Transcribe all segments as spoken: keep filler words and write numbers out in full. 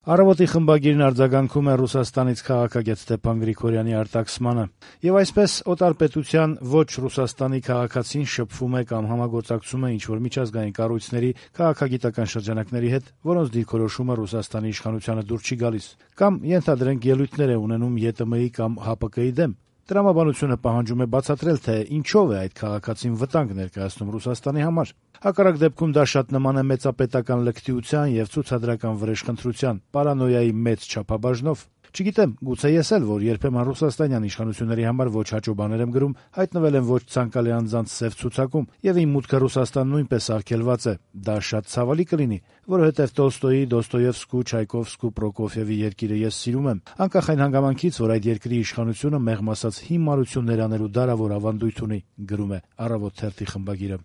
Առավոտի խմբագիրն արձագանքում է Ռուսաստանից քաղաքագետ Ստեփան Գրիգորյանի արտաքսմանը. եւ այսպես օտար պետության ոչ Ռուսաստանի քաղաքացին շփվում է կամ համագործակցում է ինչ-որ միջազգային կառույցների, քաղաքագիտական շրջանակների հետ, որոնց դիրքորոշումը Ռուսաստանի իշխանությանը դուր չի գալիս, կամ ենթադրենք ելույթներ է ունենում ԵՏՄ-ի կամ ՀԱՊԿ-ի դեմ։ Տրամաբանությունը պահանջում է բացատրել, թե ինչով է այդ քաղաքացին վտանգ ներկայացնում Ռուսաստանի համար։ Հակառակ դեպքում դա շատ նման է մեծապետական լկտիության եւ ցուցադրական վրեժխնդրության, պարանոյայի մեծ չափաբաժնով։ Չգիտեմ, գուցե ես էլ, որ երբեմն ռուսաստանյան իշխանությունների համար ոչ հաճո բաներ եմ գրում, հայտնվել եմ ոչ ցանկալի անձանց սև ցուցակում, եւ իմ մուտքը Ռուսաստան նույնպես արգելված է։ Դա շատ ցավալի կլինի, որովհետեւ Տոլստոյի, Դոստոևսկու, Չայկովսկու, Պրոկոֆիևի երկիրը ես սիրում եմ, անկախ այն հանգամանքից, որ այդ երկրի իշխանությունը մեղմ ասած հիմարություններ անելու դարավոր ավանդույթ ունի, գրում է Առավոտ թերթի խմբագիրը։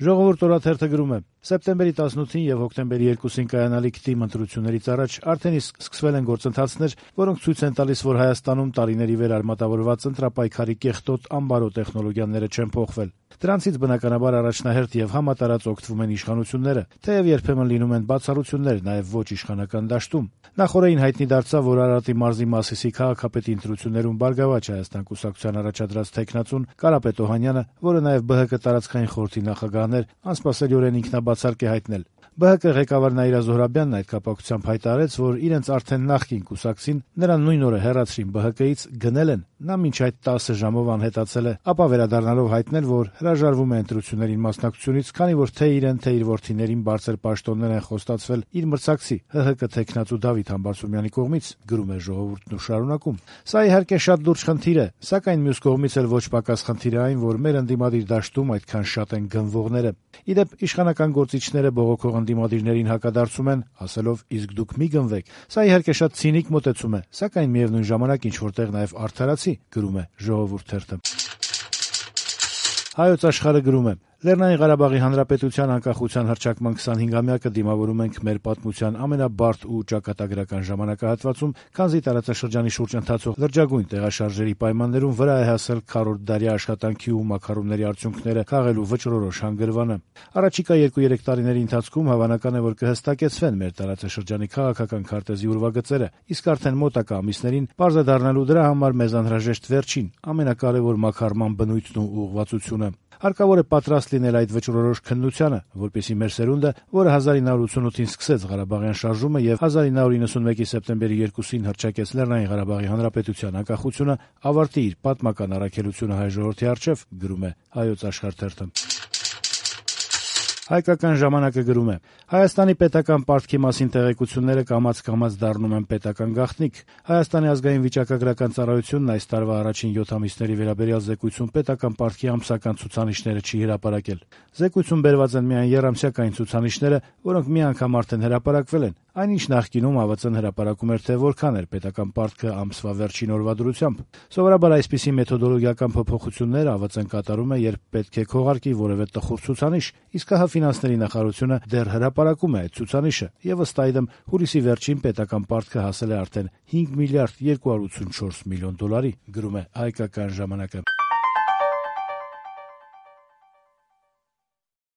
Ժողովուրդ օրաթերթը գրում է. Սեպտեմբերի տասնութին եւ հոկտեմբերի երկուսին կայանալիք թիմ ընտրություններից առաջ արդեն իսկ սկսվել են գործընթացներ, որոնք ցույց են տալիս, որ Հայաստանում տարիների վեր արմատավորված ընտրապայքարի կեղտոտ ամբարո տեխնոլոգիաները չեն փոխվել։ Դրանցից բնականաբար առաջնահերթ եւ համատարած օգտվում են իշխանությունները, թեև երբեմն լինում են բացառություններ նաեւ ոչ իշխանական դաշտում։ Նախորդին հայտնի դարձավ, որ Արարատի մարզի Մասիսի քաղաքապետի ընտրություններում Բարգավաճ Հայաստան կուսակցության առաջադրած թեկնածուն Կարապետ Օհանյանը, որը նաեւ ԲՀԿ տարածքային խորհրդի նախագահն էր, անսպասելիորեն ինքնաբացարկ է հայտնել։ ԲՀԿ ղեկավար Նաիրա Զոհրաբյանն այդ կապակցությամբ հայտարարեց, որ իրենց արդեն նախկին կուսակցին նրան նույն օրը հեռացրին ԲՀԿ-ից, գնել են։ Նա մինչ այդ տասը ժամով անհետացել է, ապա վերադառնալով հայտնել, որ հրաժարվում է ընտրություններին մասնակցությունից, քանի որ թե իրեն, թե իր որդիներին բարձր պաշտոններ են խոստացվել իր մրցակցի ՀՀԿ թեկնածու Դավիթ Համբարձումյանի կողմից, գրում է Ժողովուրդն ու շարունակում. Սա իհարկե շատ լուրջ խնդիր է, սակայն մյուս կողմից էլ ոչ պակաս խնդիր է այն, որ մեր ընդդիմադիր դաշտում այդքան շատ են գնվողները։ Իդեպ իշխանական գործիչները բողոքող ընդդիմադիրներին հակադարձում են, ասելով իսկ դուք մի գնվեք։ Սա իհարկե շատ ցինիկ մոտեցում է, սակայն միևնույն ժամանակ ինչ որտեղ նաև արդարացի, գրում է Ժողովուրդ թերթը։ Հայոց Աշխարհը գրում է. Լեռնային Ղարաբաղի Հանրապետության անկախության հռչակման քսանհինգամյակը դիմավորում ենք մեր պատմության ամենաբարդ ու ճակատագրական ժամանակահատվածում, քանզի տարածաշրջանի շուրջ ընթացող լրջագույն տեղաշարժերի պայմաններում վրա է հասել քառորդ դարյա աշխատանքի ու մակարոնների արդյունքները քաղելու վճռորոշ հանգրվանը։ Առաջիկա երկու-երեք տարիների ընթացքում հավանական է, որ կհստակեցվեն մեր տարածաշրջանի քաղաքական քարտեզի ուրվագծերը, իսկ արդեն մոտակա ամիսներին պարզ է դառնալու դրա համար մեզ անհրաժեշտ վերջին, ամենակարևոր մակարման բնույթն ու ուղղվածությունը։ Հարկավոր է պատրաստ լինել այդ վճռորոշ քննությանը, որպեսզի մեր սերունդը, որը հազար ինը հարյուր ութսունութին սկսեց Ղարաբաղյան շարժումը եւ հազար ինը հարյուր իննսունմեկի սեպտեմբերի երկուսին հռչակեց Լեռնային Ղարաբաղի Հանրապետության անկախությունը, ավարտի իր պատմական առաքելությունը հայ ժողովրդի առջև, գրում է Հայոց Աշխարհ թերթը։ Հայկական ժամանակը գրում է. Հայաստանի պետական պարտքի մասին տեղեկությունները կամաց-կամաց դառնում են պետական գաղտնիք։ Հայաստանի ազգային վիճակագրական ծառայությունն այս տարվա առաջին յոթ ամիսների վերաբերյալ զեկույցում պետական պարտքի ամսական ցուցանիշները չի հրապարակել։ Զեկույցում բերված են միայն եռամսյակային ցուցանիշները, որոնք մի անգամ արդեն հրապարակվել են, այնինչ նախկինում ԱՎԾ-ն հրապարակում էր, թե որքան էր պետական պարտքը ամսվա վերջին օրվա դրությամբ։ Սովորաբար այսպիսի մեթոդոլոգիական փոփոխություններ ԱՎԾ-ն կատարում է, երբ պետք է քողարկի որևէ տխուր ցուցանիշ, իսկ ՀՀ ֆինանսների նախարարությունը դեռ հրապարակում է այդ ցուցանիշը, եւ ըստ այդմ հուլիսի վերջին պետական պարտքը հասել է արդեն հինգ միլիարդ երկու հարյուր ութսունչորս միլիոն դոլարի, գրում է Հայկական ժամանակը։